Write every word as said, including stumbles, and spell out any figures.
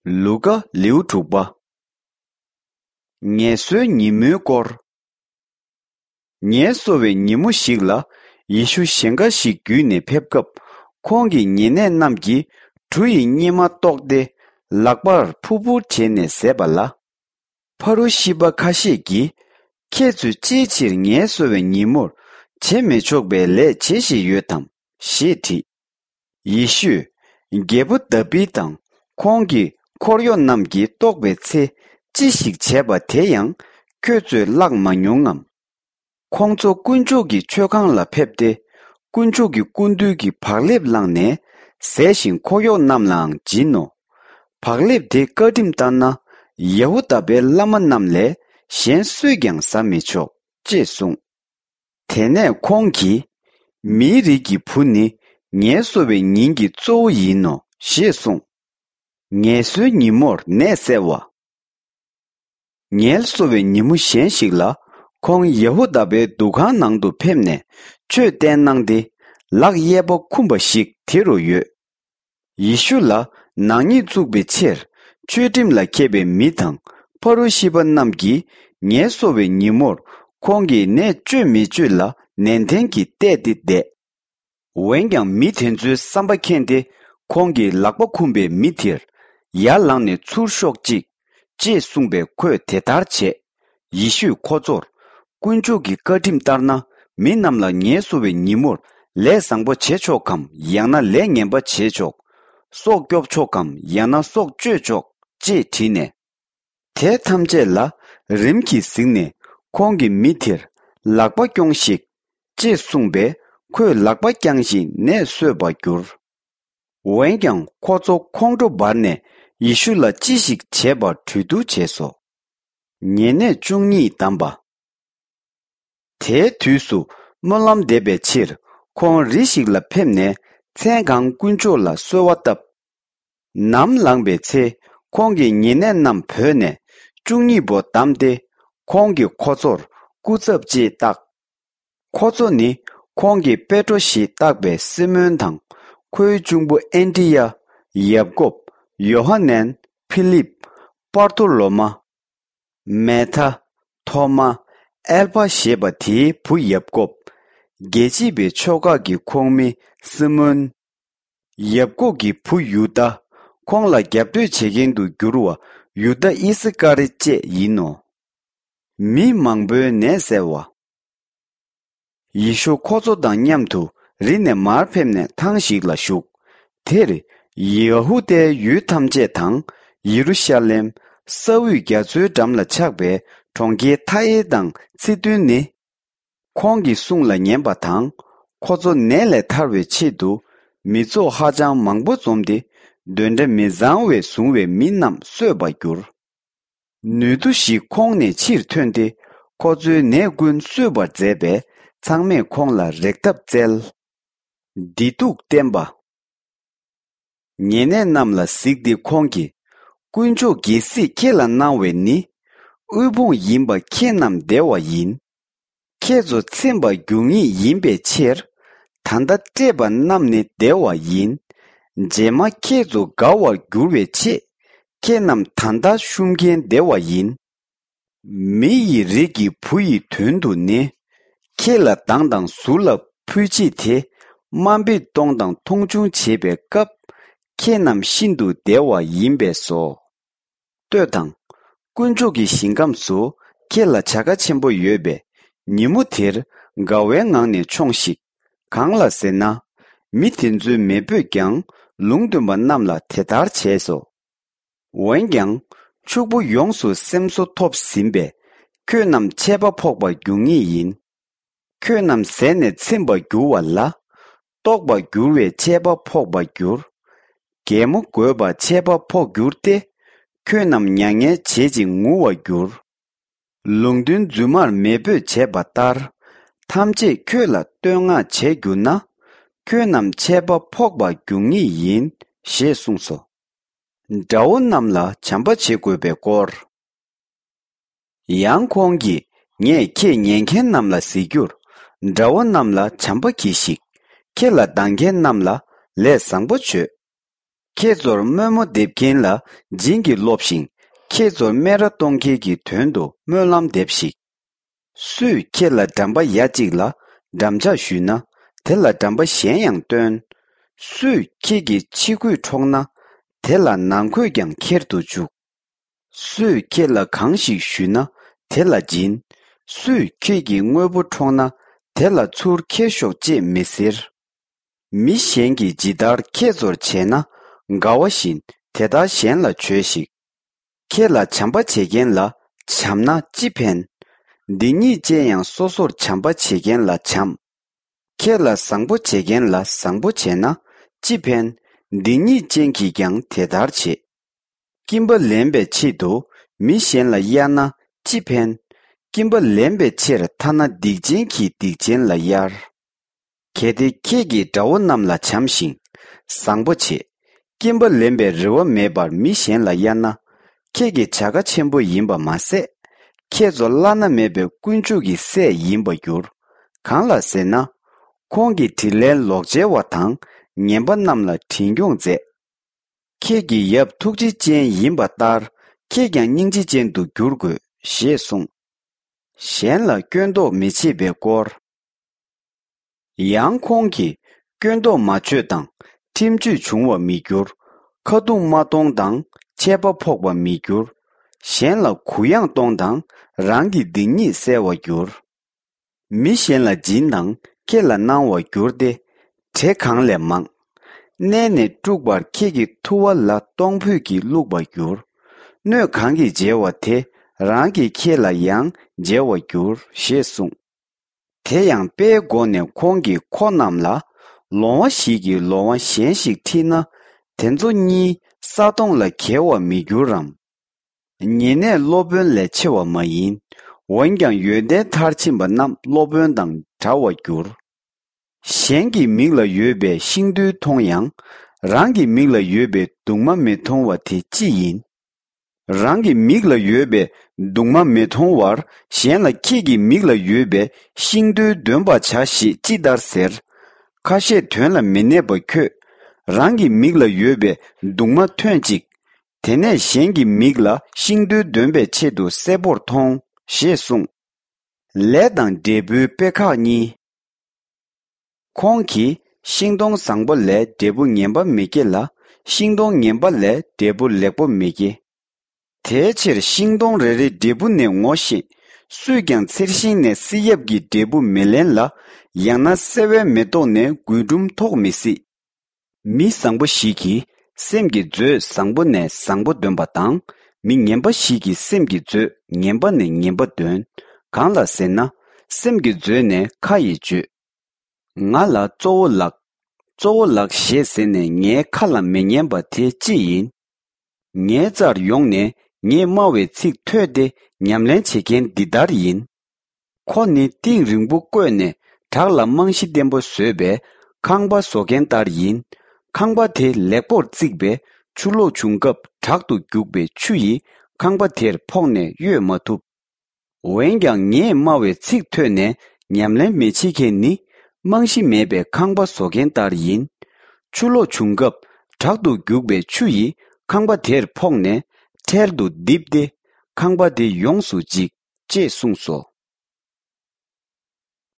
ལུ་ཀ་ལེའུ་དྲུག་པ། ངལ་གསོའི་ཉིན་མོའི་སྐོར། ངལ་གསོ་བའི་ཉིན་མོ་ཞིག་ལ། ཡེ་ཤུ་ཞིང་ཁ་ཞིག་བརྒྱུད་ནས་ཕེབས་སྐབས། ཁོང་གི་ཉེ་གནས་རྣམས་ཀྱིས་གྲུ་ཡི་སྙེ་མ་བཏོགས་ཏེ། ལག་པར་ཕུར་ཕུར་བྱས་ནས་བཟས་པ་ལ། ཕ་རུ་ཤི་པ་ཁ་ཤས་ཀྱིས། ཁྱེད་ཚོས་ཅིའི་ཕྱིར་ངལ་གསོ་བའི་ཉིན་མོར་བྱེད་མི་ཆོག་པའི་ལས་བྱེད་བཞིན་ཡོད་དམ་ཞེས་དྲིས། ཡེ་ཤུས། རྒྱལ་པོ་དཱ་བིད་དང་ཁོང་གི་འཁོར་གཡོག་རྣམས་ཀྱིས་ལྟོགས་པའི་ཚེ་ཅི་ཞིག་བྱས་པ་དེ་ཡང་ཁྱོད་ཚོས་བཀླགས་མ་མྱོང་ངམ། ཁོང་ཚོ་དཀོན་མཆོག་གི་མཆོད་ཁང་ལ་ཕེབས་ཏེ། དཀོན་མཆོག་གི་སྐུ་མདུན་གྱི་བག་ལེབ་བླངས་ནས་ཟས་ཤིང་འཁོར་གཡོག་རྣམས་ལའང་སྦྱིན་ནོ། བག་ལེབ་དེ་བཀའ་ཁྲིམས་ལྟར་ན། ཡ་ཧུ་དཱ་པའི་བླ་མ་རྣམས་ལས་གཞན་སུས་ཀྱང་ཟ་མི་ཆོག་ཅེས་གསུངས། དེ་ནས་ཁོང་གིས། མིའི་རིགས་ཀྱི་བུ་ནི་ངལ་གསོ་བའི་ཉིན་གྱི་གཙོ་བོ་ཡིན་ནོ་ཞེས་གསུངས། ངལ་གསོའི་ཉིན་མོར་ནད་བསལ་བ། ངལ་གསོ་བའི་ཉིན་མོ་གཞན་ཞིག་ལ། ཁོང་ཡ་ཧུ་དཱ་པའི་འདུ་ཁང་ནང་དུ་ཕེབས་ནས་ཆོས་བསྟན་གནང་སྟེ། ལག་གཡས་པ་འཁུམས་པ་ཞིག་དེ་རུ་ཡོད། ཡེ་ཤུ་ལ་ནག་ཉེས་བཙུགས་པའི་ཕྱིར། ཆོས་ཁྲིམས་ལ་མཁས་པའི་མི་དང་ཕ་རུ་ཤི་པ་རྣམས་ཀྱིས་ངལ་གསོ་བའི་ཉིན་མོར་ཁོང་གིས་ནད་བཅོས་མི་བཅོས་ལ་ནན་ཏན་གྱིས་བལྟས་ཏེ་བསྡད། འོན་ཀྱང་མི་དེ་ཚོའི་བསམ་པ་མཁྱེན་ཏེ། ཁོང་གིས་ལག་པ་འཁུམས་པའི་མི་དེར། ཡར་ལངས་ནས་ཚུར་ཤོག་ཅིག་ཅེས་གསུངས་པས་ཁོས་དེ་ལྟར་བྱས། ཡེ་ཤུས་ཁོ་ཚོར། དཀོན་མཆོག་གི་བཀའ་ཁྲིམས་ལྟར་ན། མི་རྣམས་ལ་ངལ་གསོ་བའི་ཉིན་མོར་ལས་བཟང་པོ་བྱེད་ཆོག་གམ། ཡང་ན་ལས་ངན་པ་བྱེད་ཆོག་སྲོག་སྐྱོབ་ཆོག་གམ། ཡང་ན་སྲོག་གཅོད་ཆོག་ཅེས་དྲིས་ནས། དེ་ཐམས་ཅད་ལ་རིམ་གྱིས་གཟིགས་ནས། ཁོང་གིས་མི་དེར། ལག་པ་རྐྱོངས་ཤིག་ཅེས་གསུངས་པས། ཁོས་ལག་པ་བརྐྱངས་ཤིང་ནད་སོས་པར་གྱུར། འོན་ཀྱང་ཁོ་ཚོ་ཁོང་ཁྲོ་འབར་ནས་ཡེ་ཤུ་ལ་ཅི་ཞིག་བྱེད་པར་གྲོས་བསྡུར་བྱས་སོ། ཉེ་གནས་བཅུ་གཉིས་བདམས་པ། དེའི་དུས་སུ་སྨོན་ལམ་འདེབས་པའི་ཕྱིར། ཁོང་རི་ཞིག་ལ་ཕེབས་ནས། མཚན་གང་དཀོན་མཆོག་ལ་གསོལ་བ་བཏབ། ནམ་ལངས་པའི་ཚེ། ཁོང་གི་ཉེ་གནས་རྣམས་བོས་ནས་བཅུ་གཉིས་པོ་བདམས་ཏེ། ཁོང་གིས་ཁོ་ཚོར་སྐུ་ཚབ་ཅེས་བཏགས། ཁོ་ཚོ་ནི་ཁོང་གིས་པེ་ཏྲོ་ཞེས་བཏགས་པའི་སི་མོན་དང་། ཁོའི་གཅུང་པོ་ཨན་དྲི་ཡ། ཡབ་ཀོབ། ཡོ་ཧ་ནན། ཕི་ལིབ། པར་ཐོ་ལོ་མ། མེ་ཐ། ཐོ་མ། ཨེལ་ཕ་ཞེས་པ་དེའི་བུ་ཡབ་ཀོབ། རྒྱལ་གཅེས་པའི་ཕྱོགས་ཁག་གི་ཁོངས་མི་སི་མོན། ཡབ་ཀོབ་ཀྱི་བུ་ཡུ་དཱ། ཁོང་ལ་རྒྱབ་གཏོད་བྱེད་མཁན་དུ་གྱུར་བ་ཡུ་དཱ་ཨི་སི་ཀ་རི་བཅས་ཡིན་ནོ། མི་མང་པོའི་ནད་བསལ་བ། ཡེ་ཤུ་ཁོ་ཚོ་དང་མཉམ་དུ་རི་ནས་མར་ཕེབས་ནས་ཐང་ཞིག་ལ་བཞུགས། དེར་ཡ་ཧུ་དཱའི་ཡུལ་ཐམས་ཅད་དང་། ཡེ་རུ་ཤ་ལེམ། ས་དབུས་རྒྱ་མཚོའི་འགྲམ་ལ་ཆགས་པའི་གྲོང་ཁྱེར་མཐའ་ཡས་དང་ཚིག་བདུན་ནི། ཁོང་གི་གསུང་ལ་ཉན་པ་དང་། ཁོ་ཚོ་ནད་ལས་ཐར་བའི་ཆེད་དུ། མི་ཚོགས་ཧ་ཅང་མང་པོ་འཛོམས་ཏེ། གདོན་འདྲེ་མི་བཟང་བས་བཟུང་བའི་མི་རྣམས་གསོས་པར་གྱུར། ནུས་མཐུ་ཞིག་ཁོང་ནས་ཕྱིར་ཐོན་ཏེ། ཁོ་ཚོའི་ནད་ཀུན་གསོས་པར་མཛད་པས། ཚང་མས་ཁོང་ལ་རེག་ཐབས་བཙལ། བདེ་སྡུག་བསྟན་པ། ཉེ་གནས་རྣམས་ལ་གཟིགས་ཏེ་ཁོང་གིས། དཀོན་མཆོག་རྒྱལ་སྲིད་ཁྱེད་ལ་གནང་བས་ནི། དབུལ་ཕོངས་ཡིན་པ་ཁྱེད་རྣམས་བདེ་བ་ཡིན། ཁྱེད་ཚོ་ཚིམ་པར་འགྱུར་ངེས་ཡིན་པའི་ཕྱིར། ད་ལྟ་བཀྲེས་པ་རྣམས་ནི་བདེ་བ་ཡིན། རྗེས་མ་ཁྱེད་ཚོ་དགའ་བར་འགྱུར་བའི་ཆེད། ཁྱེད་རྣམས་ད་ལྟ་ཤུམ་མཁན་བདེ་བ་ཡིན། མི་ཡི་རིགས་ཀྱི་བུ་ཡི་དོན་དུ་ནི། ཁྱེད་ལ་སྡང་དང་ཟུར་ལ་ཕུལ་བྱེད་དེ། དམའ་འབེབས་གཏོང་དང་མཐོང་ཆུང་བྱེད་པའི་སྐབས། ཁྱེད་རྣམས་ཤིན་ཏུ་བདེ་བ་ཡིན་པས་སོ། ལྟོས་དང་། དཀོན་མཆོག་གི་ཞིང་ཁམས་སུ་ཁྱེད་ལ་བྱ་དགའ་ཆེན་པོ་ཡོད་པས། ཉིན་མོ་དེར་དགའ་བའི་ངང་ནས་མཆོངས་ཤིག་གང་ལ་ཟེར་ན། མི་དེ་ཚོའི་མེས་པོས་ཀྱང་ལུང་སྟོན་པ་རྣམས་ལ་དེ་ལྟར་བྱས་སོ། འོན་ཀྱང་། ཕྱུག་པོ་ཡོངས་སུ་སེམས་གསོ་ཐོབ་ཟིན་པས། ཁྱོད་རྣམས་ཆད་པ་ཕོག་པར་འགྱུར་ངེས་ཡིན། ཁྱོད་རྣམས་ཟས་ནས་ཚིམ་པར་འགྱུར་བ་ལ། ལྟོགས་པར་འགྱུར་བས་ཆད་པ་ཕོག་པར་འགྱུར། གད་མོ་དགོད་པར་ཆད་པ་ཕོག་འགྱུར་ཏེ། ཁྱོད་རྣམས་མྱ་ངན་བྱེད་ཅིང་ངུ་བར་འགྱུར། ལུང་སྟོན་རྫུན་མར་མེས་པོས་བྱས་པ་ལྟར། ཐམས་ཅད་ཁྱོད་ལ་བསྟོད་བསྔགས་བྱས་གྱུར་ན། ཁྱོད་རྣམས་ཆད་པ་ཕོག་པར་འགྱུར་ངེས་ཡིན། ཞེས་གསུངས་སོ། དགྲ་བོ་རྣམས་ལ་བྱམས་པ་བྱེད་དགོས་པའི་སྐོར། ཡང་ཁོང་གིས། ངས་ཁྱེད་ཉན་མཁན་རྣམས་ལ་ཟེར་རྒྱུར། དགྲ་བོ་རྣམས་ལ་བྱམས་པ་གྱིས་ཤིག་ཁྱེད་ལ་སྡང་མཁན་རྣམས་ལ་ལས་བཟང་པོ་བྱོས། ཁྱེད་ཚོར་དམོད་མོ་འདེབས་མཁན་ལ་བྱིན་གྱིས་རློབས་ཤིག། ཁྱེད་ཚོར་སྨད་ར་གཏོང་མཁན་གྱི་དོན་དུ་སྨོན་ལམ་འདེབས་ཤིག། སུས་ཁྱེད་ལ་འགྲམ་པ་ཡ་གཅིག་ལ་འགྲམ་ལྕག་གཞུས་ན། དེ་ལ་འགྲམ་པ་གཞན་ཡང་སྟོན། སུས་ཁྱེད་ཀྱི་ཕྱི་གོས་འཕྲོག་ན། དེ་ལ་ནང་གོས་ཀྱང་ཁྱེར་དུ་བཅུག། སུས་ཁྱེད་ལ་གང་ཞིག་གཞུས་ན། དེ་ལ་སྦྱིན། སུས་ཁྱེད་ཀྱི་དངོས་པོ་འཕྲོག་ན། དེ་ལ་ཚུར་ཁྱེར་ཤོག་ཅེས་མི་ཟེར། མི་གཞན་གྱིས་ཇི་ལྟར་ཁྱེད་ཚོར་བྱས་ན། དགའ་བ་བཞིན་དེ་ལྟར་གཞན་ལ་བྱོས་ཤིག། ཁྱེད་ལ་བྱམས་པ་བྱེད་མཁན་ལ་བྱམས་ན་ཅི་ཕན། སྡིག་ཉེས་ཅན་ཡང་སོ་སོར་བྱམས་པ་བྱེད་མཁན་ལ་བྱམས། ཁྱེད་ལ་བཟང་པོ་བྱེད་མཁན་ལ་བཟང་པོ་བྱས་ན་ཅི་ཕན། སྡིག་ཉེས་ཅན་གྱིས་ཀྱང་དེ་ལྟར་བྱེད། སྐྱིན་པ་ལེན་པའི་ཆེད་དུ་མི་གཞན་ལ་གཡར་ན་ཅི་ཕན། སྐྱིན་པ་ལེན་པའི་ཕྱིར་ཐ་ན་སྡིག་ཅན་གྱིས་སྡིག་ཅན་ལ་གཡར། གལ་ཏེ་ཁྱེད་ཀྱིས་དགྲ་བོ་རྣམས་ལ་བྱམས་ཤིང་བཟང་པོ་བྱེད། སྐྱིན་པ་ལེན་པའི་རེ་བ་མེད་པར་མི་གཞན་ལ་གཡར་ན། ཁྱེད་ཀྱི་བྱ་དགའ་ཆེན་པོ་ཡིན་པ་མ་ཟད། ཁྱེད་ཚོ་བླ་ན་མེད་པའི་དཀོན་མཆོག་གི་སྲས་ཡིན་པར་འགྱུར། གང་ལ་ཟེར་ན། ཁོང་གིས་དྲིན་ལན་ལོག་འཇལ་བ་དང་ངན་པ་རྣམས་ལ་དྲིན་སྐྱོང་མཛད། ཁྱེད་ཀྱི་ཡབ་ཐུགས་རྗེ་ཅན་ཡིན་པ་ལྟར་ཁྱེད་ཀྱང་སྙིང་རྗེ་ཅན་དུ་འགྱུར་དགོས་ཞེས་གསུངས། གཞན་ལ་སྐྱོན་འདོགས་མི་བྱེད་པའི་སྐོར། ཡང་ཁོང་གིས་སྐྱོན་འདོགས་མ་བྱོས་དང་ཁྲིམས་གཅོད་བྱུང་བར་མི་འགྱུར། ཁ་རྡུང་མ་གཏོང་དང་ཆད་པ་ཕོག་པར་མི་འགྱུར། གཞན་ལ་གུ་ཡངས་གཏོང་དང་རང་གི་སྡིག་ཉེས་བསལ་བར་འགྱུར། མི་གཞན་ལ་སྦྱིན་དང་ཁྱེད་ལ་གནང་བར་འགྱུར་ཏེ། བྲེ་གང་ལས་མང་། མནན་ནས་དཀྲུགས་པར་ཁྱེད་ཀྱི་ཐུ་བ་ལ་གཏོང་ཕོད་ཀྱིས་བླུགས་པར་འགྱུར། སྣོད་གང་གིས་འཇལ་བ་དེ་རང་གིས་ཁྱེད་ལ་ཡང་འཇལ་བར་འགྱུར་ཞེས་གསུངས། དེ་ཡང་དཔེའི་སྒོ་ནས་ཁོང་གིས་ཁོ་རྣམས་ལ། ལོང་བ་ཞིག་གིས་ལོང་བ་གཞན་ཞིག་ཁྲིད་ན། དེ་ཚོ་གཉིས་ས་དོང་ལ་འགྱེལ་བར་མི་འགྱུར་རམ། ཉེ་གནས་སློབ་དཔོན་ལས་ཆེ་བ་མ་ཡིན། འོན་ཀྱང་ཡོན་ཏན་མཐར་ཕྱིན་པ་རྣམས་སློབ་དཔོན་དང་འདྲ་བར་འགྱུར། གཞན་གྱི་མིག་ལ་ཡོད་པའི་ཤིང་རྡུལ་མཐོང་ཡང་། རང་གི་མིག་ལ་ཡོད་པའི་གདུང་མ་མི་མཐོང་བ་དེ་ཅི་ཡིན། རང་གི་མིག་ལ་ཡོད་པའི་གདུང་མ་མི་མཐོང་བར་གཞན་ལ་ཁྱེད་ཀྱི་མིག་ལ་ཡོད་པའི་ཤིང་རྡུལ་འདོན་པར་བྱ་ཞེས་ཅི་ལྟར་ཟེར། ཁ་བཤད་དོན་ལ་མི་གནས་པ་ཁྱོད། རང་གི་མིག་ལ་ཡོད་པའི་གདུང་མ་ཐོན་ཅིག། དེ་ནས་གཞན་གྱི་མིག་ལ་ཤིང་རྡུལ་འདོན་པའི་ཆེད་དུ་གསལ་པོར་མཐོང་ཞེས་གསུངས། ལས་དང་འབྲས་བུའི་དཔེ་ཁག་གཉིས། ཁོང་གིས་ཤིང་སྡོང་བཟང་པོ་ལས་འབྲས་བུ་ངན་པ་མི་སྐྱེ་ལ། ཤིང་སྡོང་ངན་པ་ལས་འབྲས་བུ་ལེགས་པོ་མི་སྐྱེ། དེའི་ཕྱིར་ཤིང་སྡོང་རེ་རེའི་འབྲས་བུ་ནས་ངོ་ཤེས། སུས་ཀྱང་ཚེར་ཤིང་ནས་བསིལ་ཡབ་ཀྱི་འབྲས་བུ་མི་ལེན་ལ། ཡང་ན་སེ་བའི་མེ་ཏོག་ནས་རྒུན་འབྲུམ་ཐོགས་མི་སྲིད། མི་བཟང་པོ་ཞིག་གིས་སེམས་ཀྱི་མཛོད་བཟང་པོ་ནས་བཟང་པོ་འདོན་པ་དང་། མི་ངན་པ་ཞིག་གིས་སེམས་ཀྱི་མཛོད་ངན་པ་ནས་ངན་པ་འདོན། གང་ལ་ཟེར་ན། སེམས་ཀྱི་མཛོད་ནས་ཁ་ཡིས་བརྗོད། ང་ལ་གཙོ་བོ་ལགས། གཙོ་བོ་ལགས་ཞེས་ཟེར་ནས་ངའི་ཁ་ལ་མི་ཉན་པ་དེ་ཅི་ཡིན། ངའི་རྩར་ཡོང་ནས་ངས་སྨྲ་བའི་ཚིག་ཐོས་ཏེ་ཉམས་ལེན་བྱེད་མཁན་འདི་ལྟར་ཡིན། ཁོ་ནི་གཏིང་རིང་པོ་བརྐོས་ནས་བྲག་ལ་རྨང་གཞི་བརྟན་པོ་བཟོས་པའི་ཁང་པ་བཟོ་མཁན་ལྟར་ཡིན། ཁང་པ་དེ་ལེགས་པོར་བརྩིགས་པས་ཆུ་ལོག་བྱུང་སྐབས་དྲག་ཏུ་རྒྱུག་པའི་ཆུ་ཡིས་ཁང་པ་དེར་ཕོག་ནས་གཡོལ་མ་ཐུབ། འོན་ཀྱང་ངས་སྨྲ་བའི་ཚིག་ཐོས་ནས་ཉམས་ལེན་མི་བྱེད་མཁན་ནི་རྨང་གཞི་མེད་པའི་ཁང་པ་བཟོ་མཁན་ལྟར་ཡིན། ཆུ་ལོག་བྱུང་སྐབས་དྲག་ཏུ་རྒྱུག་པའི་ཆུ་ཡིས་ཁང་པ་དེར་ཕོག་ནས་འཕྲལ་དུ་རྡིབ་སྟེ་ཁང་པ་དེ་ཡོངས་སུ་འཇིག་ཅེས་གསུངས་སོ།